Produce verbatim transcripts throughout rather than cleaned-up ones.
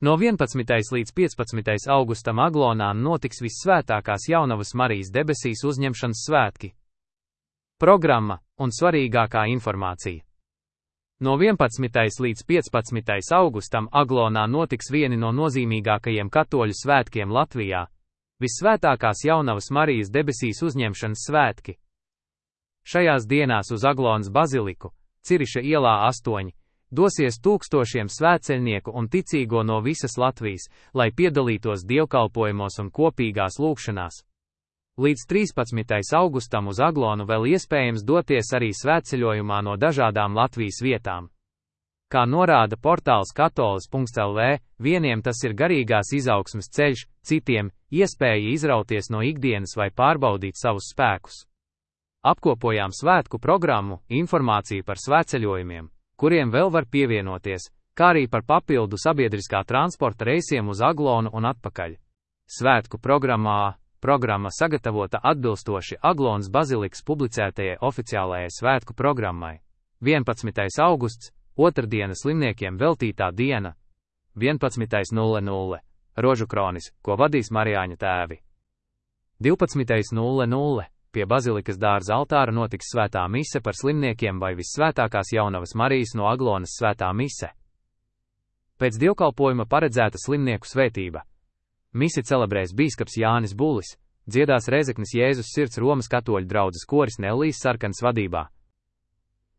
No vienpadsmitais līdz piecpadsmitais augustam Aglonā notiks Vissvētākās Jaunavas Marijas debesīs uzņemšanas svētki. Programma un svarīgākā informācija. No vienpadsmitais līdz piecpadsmitais augustam Aglonā notiks vieni no nozīmīgākajiem katoļu svētkiem Latvijā – Vissvētākās Jaunavas Marijas debesīs uzņemšanas svētki. Šajās dienās uz Aglonas baziliku, Ciriša ielā astoņi, dosies tūkstošiem svētceļnieku un ticīgo no visas Latvijas, lai piedalītos dievkalpojumos un kopīgās lūgšanās. Līdz trīspadsmitais augustam uz Aglonu vēl iespējams doties arī svētceļojumā no dažādām Latvijas vietām. Kā norāda portāls katolis punkts el vē, vieniem tas ir garīgās izaugsmes ceļš, citiem – iespēja izrauties no ikdienas vai pārbaudīt savus spēkus. Apkopojām svētku programmu, informāciju par svētceļojumiem, kuriem vēl var pievienoties, kā arī par papildu sabiedriskā transporta reisiem uz Aglonu un atpakaļ. Svētku programmā programma sagatavota atbilstoši Aglonas bazilikas publicētajai oficiālajai svētku programmai. vienpadsmitais augusts, otrdiena slimniekiem veltītā diena. vienpadsmitais nulle nulle Rožu kronis, ko vadīs Marijāņu tēvi. divpadsmitais nulle nulle Pie bazilikas dārza altāra notiks svētā mise par slimniekiem vai Vissvētākās Jaunavas Marijas no Aglonas svētā mise. Pēc dievkalpojuma paredzēta slimnieku svētība. Misi celebrēs bīskaps Jānis Bulis, dziedās Rēzeknes Jēzus Sirds Romas katoļu draudzes koris Nellijas Sarkanas vadībā.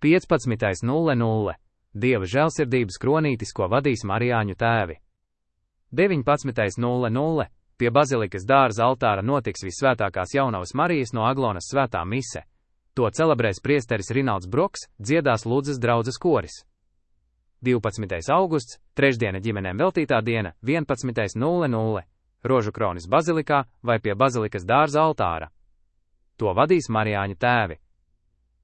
piecpadsmitais nulle nulle Dieva žēlsirdības kronītis, ko vadīs Marijāņu tēvi. deviņpadsmitais nulle nulle Pie bazilikas dārza altāra notiks Vissvētākās Jaunavas Marijas no Aglonas svētā mise. To celebrēs priesteris Rinalds Broks, dziedās Ludzas draudzes koris. divpadsmitais augusts, trešdiena ģimenēm veltītā diena, vienpadsmitais nulle nulle Rožu kronis bazilikā vai pie bazilikas dārza altāra. To vadīs Marijāņu tēvi.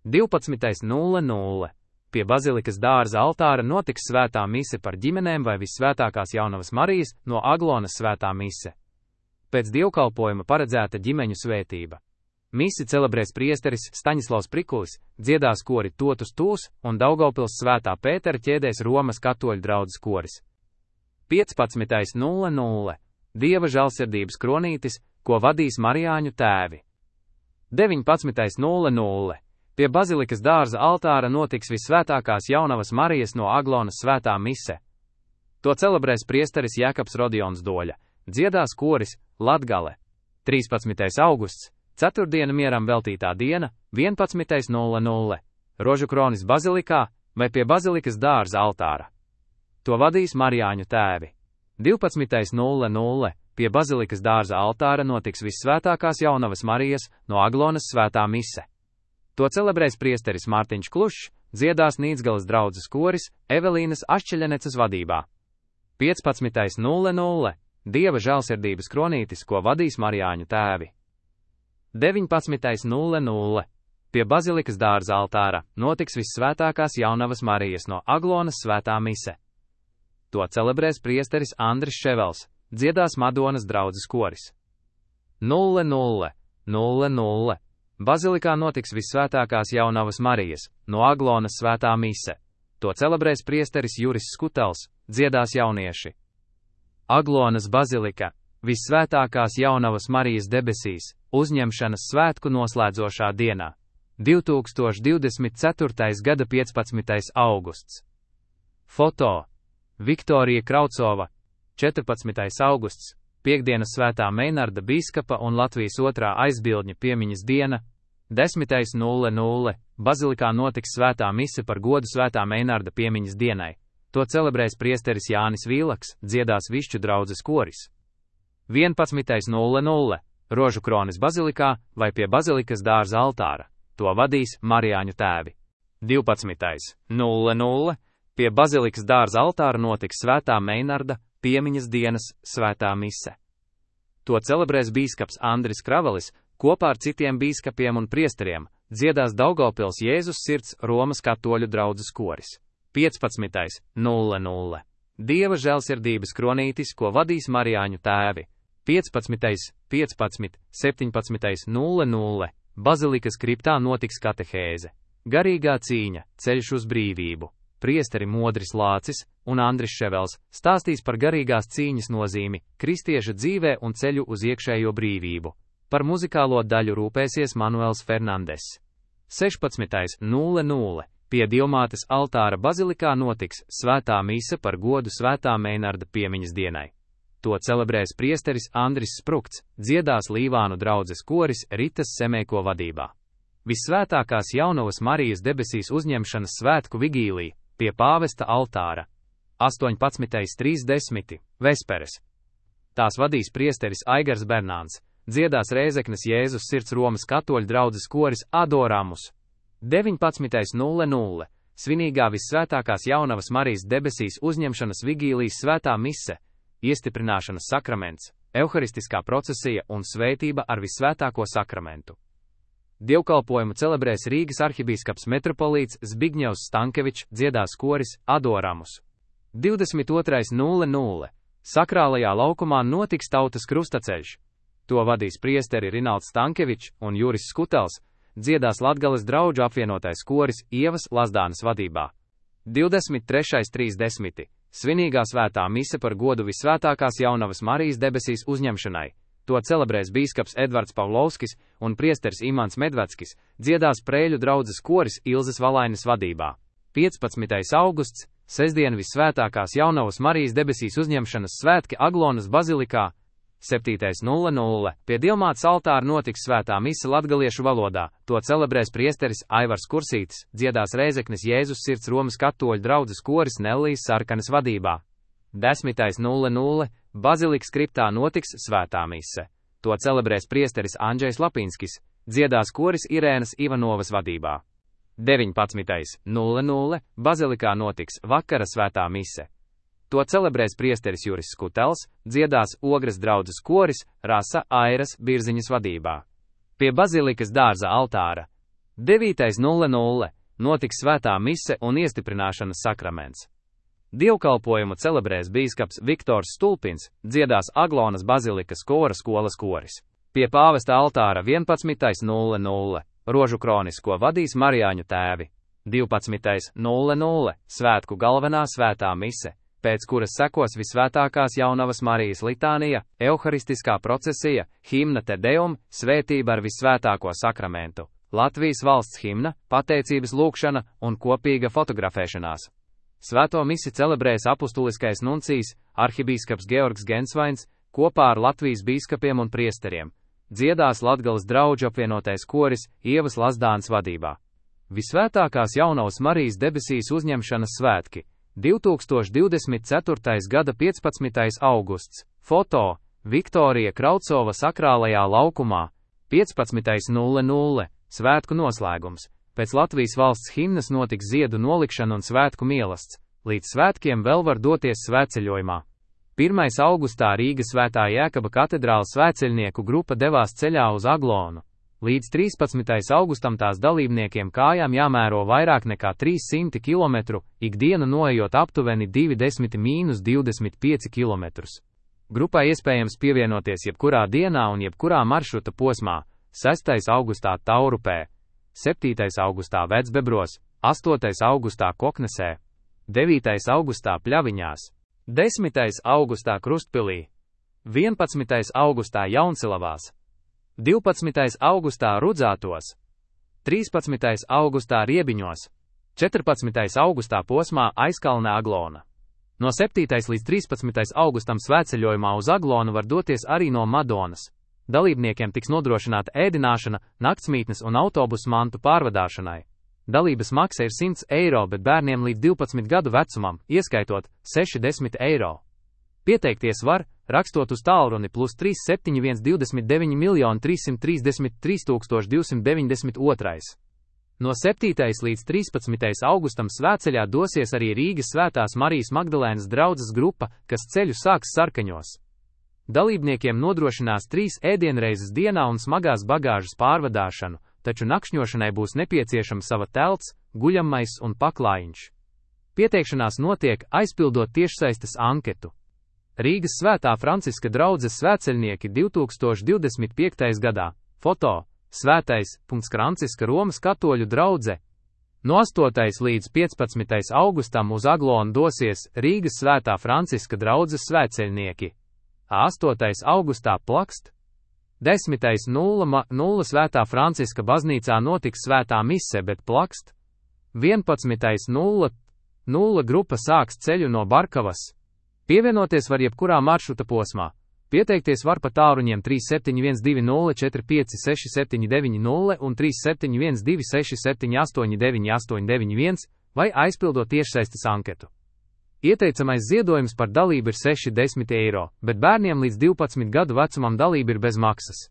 divpadsmitais nulle nulle Pie bazilikas dārza altāra notiks svētā mise par ģimenēm vai Vissvētākās Jaunavas Marijas no Aglonas svētā mise. Pēc dievkalpojuma paredzēta ģimeņu svētība. Misi celebrēs priesteris Staņislavs Prikulis, dziedās kori Totus Tūs un Daugavpils svētā Pētera ķēdēs Romas katoļu draudzes koris. piecpadsmitais nulle nulle Dieva žēlsirdības kronītis, ko vadīs Marijāņu tēvi. deviņpadsmitais nulle nulle Pie bazilikas dārza altāra notiks Vissvētākās Jaunavas Marijas no Aglonas svētā mise. To celebrēs priesteris Jēkabs Rodions Doļa, dziedās koris Latgale. trīspadsmitais augusts, ceturtdiena mieram veltītā diena, vienpadsmitais nulle nulle Rožu kronis bazilikā vai pie bazilikas dārza altāra. To vadīs Marijāņu tēvi. divpadsmitais nulle nulle Pie bazilikas dārza altāra notiks Vissvētākās Jaunavas Marijas no Aglonas svētā mise. To celebrēs priesteris Mārtiņš Klušs, dziedās Nīdzgalas draudzes koris Evelīnas Ašķeļenecas vadībā. piecpadsmitais nulle nulle Dieva žēlsirdības kronītis, ko vadīs Marijāņu tēvi. deviņpadsmitais nulle nulle Pie bazilikas dārza altāra notiks Vissvētākās Jaunavas Marijas no Aglonas svētā mise. To celebrēs priesteris Andris Ševels, dziedās Madonas draudzes koris. nulle nulle nulle nulle Bazilikā notiks Vissvētākās Jaunavas Marijas no Aglonas svētā mise. To celebrēs priesteris Juris Skutels, dziedās jaunieši. Aglonas bazilika, Vissvētākās Jaunavas Marijas debesīs, uzņemšanas svētku noslēdzošā dienā. divtūkstoš divdesmit ceturtais gada piecpadsmitais augusts. Foto Viktorija Kraucova, četrpadsmitais augusts, piekdienas svētā Meinarda bīskapa un Latvijas otrā aizbildņa piemiņas diena, desmitais nulle nulle Bazilikā notiks svētā mise par godu svētā Meinarda piemiņas dienai. To celebrēs priesteris Jānis Vīlaks, dziedās Višķu draudzes koris. vienpadsmitais nulle nulle Rožu kronis bazilikā vai pie bazilikas dārza altāra. To vadīs Marijāņu tēvi. divpadsmitais nulle nulle Pie bazilikas dārza altāra notiks svētā Meinarda piemiņas dienas svētā mise. To celebrēs bīskaps Andris Kravalis, kopā ar citiem bīskapiem un priesteriem, dziedās Daugavpils Jēzus Sirds Romas katoļu draudzes koris. piecpadsmitais nulle nulle Dieva žēlsirdības kronītis, ko vadīs Marijāņu tēvi. piecpadsmitais piecpadsmit septiņpadsmitais nulle nulle Bazilikas kriptā notiks katehēze. Garīgā cīņa, ceļš uz brīvību. priesteri Modris Lācis un Andris Ševels stāstīs par garīgās cīņas nozīmi, kristieša dzīvē un ceļu uz iekšējo brīvību. Par muzikālo daļu rūpēsies Manuels Fernandes. sešpadsmitais nulle nulle Pie Dievmātes altāra bazilikā notiks svētā mise par godu svētā Meinarda piemiņas dienai. To celebrēs priesteris Andris Sprukts, dziedās Līvānu draudzes koris Ritas Semēko vadībā. Vissvētākās Jaunavas Marijas debesīs uzņemšanas svētku vigīlija pie pāvesta altāra. astoņpadsmitais trīsdesmit Vesperes. Tās vadīs priesteris Aigars Bernāns, dziedās Rēzeknes Jēzus Sirds Romas katoļu draudzes koris Adoramus. deviņpadsmitais nulle nulle Svinīgā Vissvētākās Jaunavas Marijas debesīs uzņemšanas vigīlijas svētā mise, iestiprināšanas sakraments, evharistiskā procesija un svētība ar Vissvētāko sakramentu. Dievkalpojumu celebrēs Rīgas arhibīskaps metropolīts Zbigņevs Stankevičs, dziedās koris Adoramus. divdesmit otrais nulle nulle Sakrālajā laukumā notiks tautas krustaceļš. To vadīs priesteri Rinalds Stankevičs un Juris Skutels, dziedās Latgales draudžu apvienotais koris Ievas Lazdānas vadībā. divdesmit trešais trīsdesmit Svinīgā svētā mise par godu Vissvētākās Jaunavas Marijas debesīs uzņemšanai. To celebrēs bīskaps Edvards Pavlovskis un priesteris Imants Medveckis, dziedās Prēļu draudzes koris Ilzes Valainas vadībā. piecpadsmitais augusts Sestdien Vissvētākās Jaunavas Marijas debesīs uzņemšanas svētki Aglonas bazilikā. septītais nulle nulle Pie Dievmātes altāra notiks svētā mise latgaliešu valodā. To celebrēs priesteris Aivars Kursītis, dziedās Rēzeknes Jēzus Sirds Romas katoļu draudzes koris Nellijas Sarkanas vadībā. desmitais nulle nulle Bazilikas kriptā notiks svētā mise. To celebrēs priesteris Andžejs Lapinskis, dziedās koris Irēnas Ivanovas vadībā. deviņpadsmitais nulle nulle Bazilikā notiks vakara svētā mise. To celebrēs priesteris Juris Skutels, dziedās Ogres draudzes koris Rasa Airas Birziņas vadībā. Pie bazilikas dārza altāra. devītais nulle nulle Notiks svētā mise un iestiprināšanas sakraments. Dievkalpojumu celebrēs bīskaps Viktors Stulpins, dziedās Aglonas bazilikas kora skolas koris. Pie pāvesta altāra vienpadsmitais nulle nulle Rožu kronisko vadīs Marijāņu tēvi. divpadsmitais nulle nulle Svētku galvenā svētā mise, pēc kuras sekos Vissvētākās Jaunavas Marijas litānija, evharistiskā procesija, himna Te Deum, svētība ar Vissvētāko sakramentu, Latvijas valsts himna, pateicības lūkšana un kopīga fotografēšanās. Svēto misi celebrēs apustuliskais nuncijs, arhibīskaps Georgs Gensvains, kopā ar Latvijas bīskapiem un priesteriem. Dziedās Latgales draudžu apvienotais koris Ievas Lazdānas vadībā. Vissvētākās Jaunavas Marijas debesīs uzņemšanas svētki. divtūkstoš divdesmit ceturtais gada piecpadsmitais augusts. Foto Viktorija Kraucova sakrālajā laukumā. piecpadsmitais nulle nulle Svētku noslēgums. Pēc Latvijas valsts himnas notiks ziedu nolikšana un svētku mielasts. Līdz svētkiem vēl var doties svētceļojumā. pirmais augustā Rīgas Svētā Jēkaba katedrāles svētceļnieku grupa devās ceļā uz Aglonu. Līdz trīspadsmitajam augustam tās dalībniekiem kājām jāmēro vairāk nekā trīs simti kilometru, ikdienu noejot aptuveni divdesmit līdz divdesmit pieci kilometrus. Grupai iespējams pievienoties jebkurā dienā un jebkurā maršruta posmā. sestais augustā Taurupē, septītais augustā Vecbebros, astotais augustā Koknesē, devītais augustā Pļaviņās, desmitais augustā Krustpilī, vienpadsmitais augustā Jauncelavās, divpadsmitais augustā Rudzātos, trīspadsmitais augustā Riebiņos, četrpadsmitais augustā posmā Aizkalne Aglona. No septītais līdz trīspadsmitajam augustam svētceļojumā uz Aglonu var doties arī no Madonas. Dalībniekiem tiks nodrošināta ēdināšana, naktsmītnes un autobusu mantu pārvadāšanai. Dalības maksa ir simts eiro, bet bērniem līdz divpadsmit gadu vecumam, ieskaitot sešdesmit eiro. Pieteikties var, rakstot uz tālruni plus trīs septiņi viens divdesmit deviņi miljoni trīssimt trīsdesmit trīs tūkstoši divsimt deviņdesmit divi. No septītajam līdz trīspadsmitajam augustam svētceļā dosies arī Rīgas Svētās Marijas Magdalēnas draudzes grupa, kas ceļu sāks Sarkaņos. Dalībniekiem nodrošinās trīs ēdienreizes dienā un smagās bagāžas pārvadāšanu, taču nakšņošanai būs nepieciešama sava telts, guļamais un paklājiņš. Pieteikšanās notiek, aizpildot tiešsaistes anketu. Rīgas Svētā Franciska draudzes svētceļnieki divtūkstoš divdesmit piektajā gadā. Foto Svētais Franciska Romas katoļu draudze. No astotais līdz piecpadsmitajam augustam uz Aglonu dosies Rīgas Svētā Franciska draudzes svētceļnieki. astotais augustā Plakst. desmitais nulle nulle Svētā Franciska baznīcā notiks svētā mise, bet Plakst. vienpadsmitais nulle nulle grupa sāks ceļu no Barkavas. Pievienoties var jebkurā maršruta posmā. Pieteikties var pa tālruņiem trīs septiņi viens divi nulle četri pieci seši septiņi deviņi nulle un trīs septiņi viens divi seši septiņi astoņi deviņi astoņi deviņi viens vai aizpildot tiešsaistes anketu. Ieteicamais ziedojums par dalību ir seši desmit eiro, bet bērniem līdz divpadsmit gadu vecumam dalība ir bez maksas.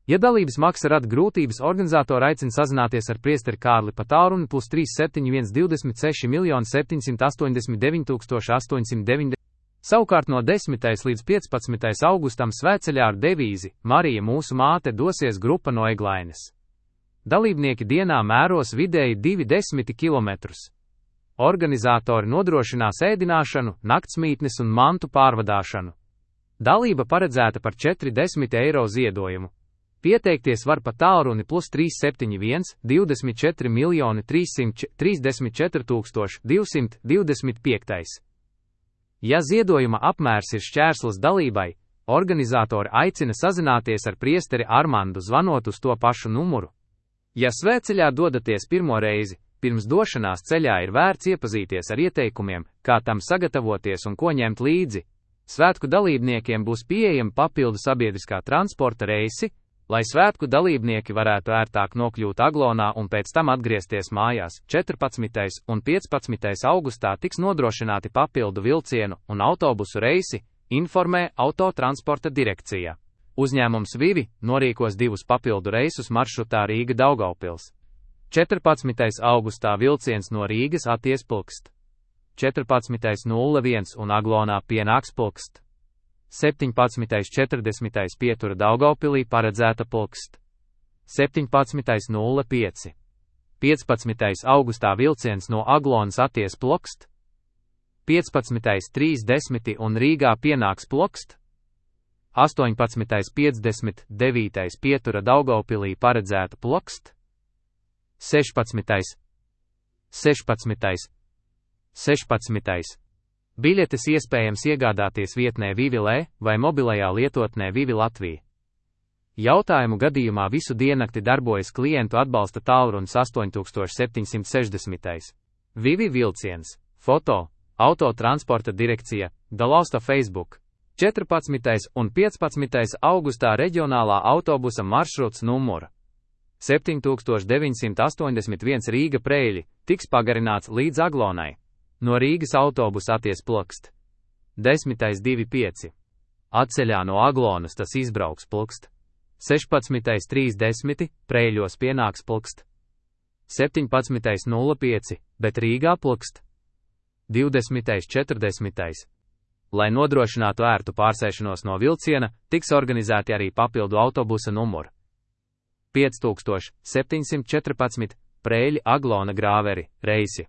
Ja dalības maksa rada grūtības, organizatori aicina sazināties ar priesteri Kārli pa tālruni plus trīs septiņi viens divdesmit seši miljoni septiņsimt astoņdesmit deviņi tūkstoši astoņsimt deviņdesmit. Savukārt no desmitais līdz piecpadsmitajam augustam svētceļā ar devīzi Marija mūsu māte dosies grupa no Eglaines. Dalībnieki dienā mēros vidēji divi desmit kilometrus. Organizatori nodrošinās ēdināšanu, naktsmītnes un mantu pārvadāšanu. Dalība paredzēta par četrdesmit eiro ziedojumu. Pieteikties var pa tālruni plus trīs septiņi viens divdesmit četri miljoni trīssimt trīsdesmit četri tūkstoši divsimt divdesmit pieci. Ja ziedojuma apmērs ir šķērslis dalībai, organizatori aicina sazināties ar priesteri Armandu zvanot uz to pašu numuru. Ja svētceļā dodaties pirmo reizi, pirms došanās ceļā ir vērts iepazīties ar ieteikumiem, kā tam sagatavoties un ko ņemt līdzi. Svētku dalībniekiem būs pieejami papildu sabiedriskā transporta reisi, lai svētku dalībnieki varētu ērtāk nokļūt Aglonā un pēc tam atgriezties mājās. četrpadsmitajam un piecpadsmitajam augustā tiks nodrošināti papildu vilcienu un autobusu reisi, informē Autotransporta direkcija. Uzņēmums Vivi norīkos divus papildu reisus maršrutā Rīga-Daugavpils. četrpadsmitajam augustā vilciens no Rīgas atties Plkst. četrpadsmitais nulle viens un Aglonā pienāks Plkst. septiņpadsmitais četrdesmitais pietura Daugavpilī paredzēta Plkst. septiņpadsmitais nulle pieci. piecpadsmitais augustā vilciens no Aglonas atties Plkst. piecpadsmitais trīsdesmit un Rīgā pienāks Plkst. astoņpadsmitais piecdesmit devītais pietura Daugavpilī paredzēta Plkst. sešpadsmitais. sešpadsmitais. sešpadsmitais. Biļetes iespējams iegādāties vietnē Vivilē vai mobilajā lietotnē Vivi Latvija. Jautājumu gadījumā visu diennakti darbojas klientu atbalsta tālrunis astoņi septiņi šeši. Vivi vilciens, foto, Autotransporta direkcija, dalausta Facebook. četrpadsmitais un piecpadsmitais augustā reģionālā autobusa maršruts numura septiņi deviņi astoņdesmit viens Rīga Preļi tiks pagarināts līdz Aglonai. No Rīgas autobusa atties Plkst. desmitais divi pieci. Atceļā no Aglonas tas izbrauks Plkst. sešpadsmitais trīsdesmit, Preļos pienāks Plkst. septiņpadsmitais nulle pieci, bet Rīgā Plkst. divdesmitais četrdesmitais. Lai nodrošinātu ērtu pārsēšanos no vilciena, tiks organizēti arī papildu autobusa numuri. pieci septiņsimt četrpadsmit, Preļi Aglona Grāveri, reisi.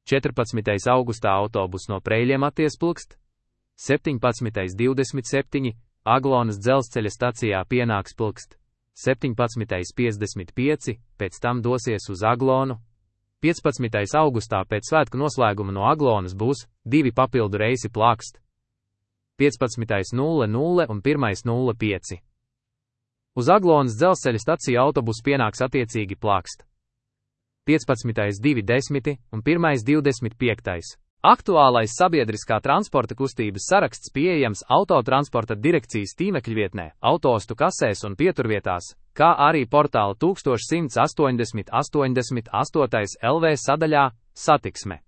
četrpadsmitais augustā autobus no Preļiem atties Plkst. septiņpadsmitais divdesmit septiņi, Aglonas dzelzceļa stacijā pienāks Plkst. septiņpadsmitais piecdesmit pieci, pēc tam dosies uz Aglonu. piecpadsmitais augustā pēc svētku noslēguma no Aglonas būs divi papildu reisi Plkst. piecpadsmitais nulle nulle un pirmais nulle pieci. Uz Aglonas dzelzceļa staciju autobus pienāks attiecīgi Plkst. piecpadsmitais divi desmit un pirmais divdesmit piektais. Aktuālais sabiedriskā transporta kustības saraksts pieejams Autotransporta direkcijas tīmekļvietnē, autostu kasēs un pieturvietās, kā arī portāla viens viens astoņdesmit astoņdesmit astoņi L V sadaļā Satiksme.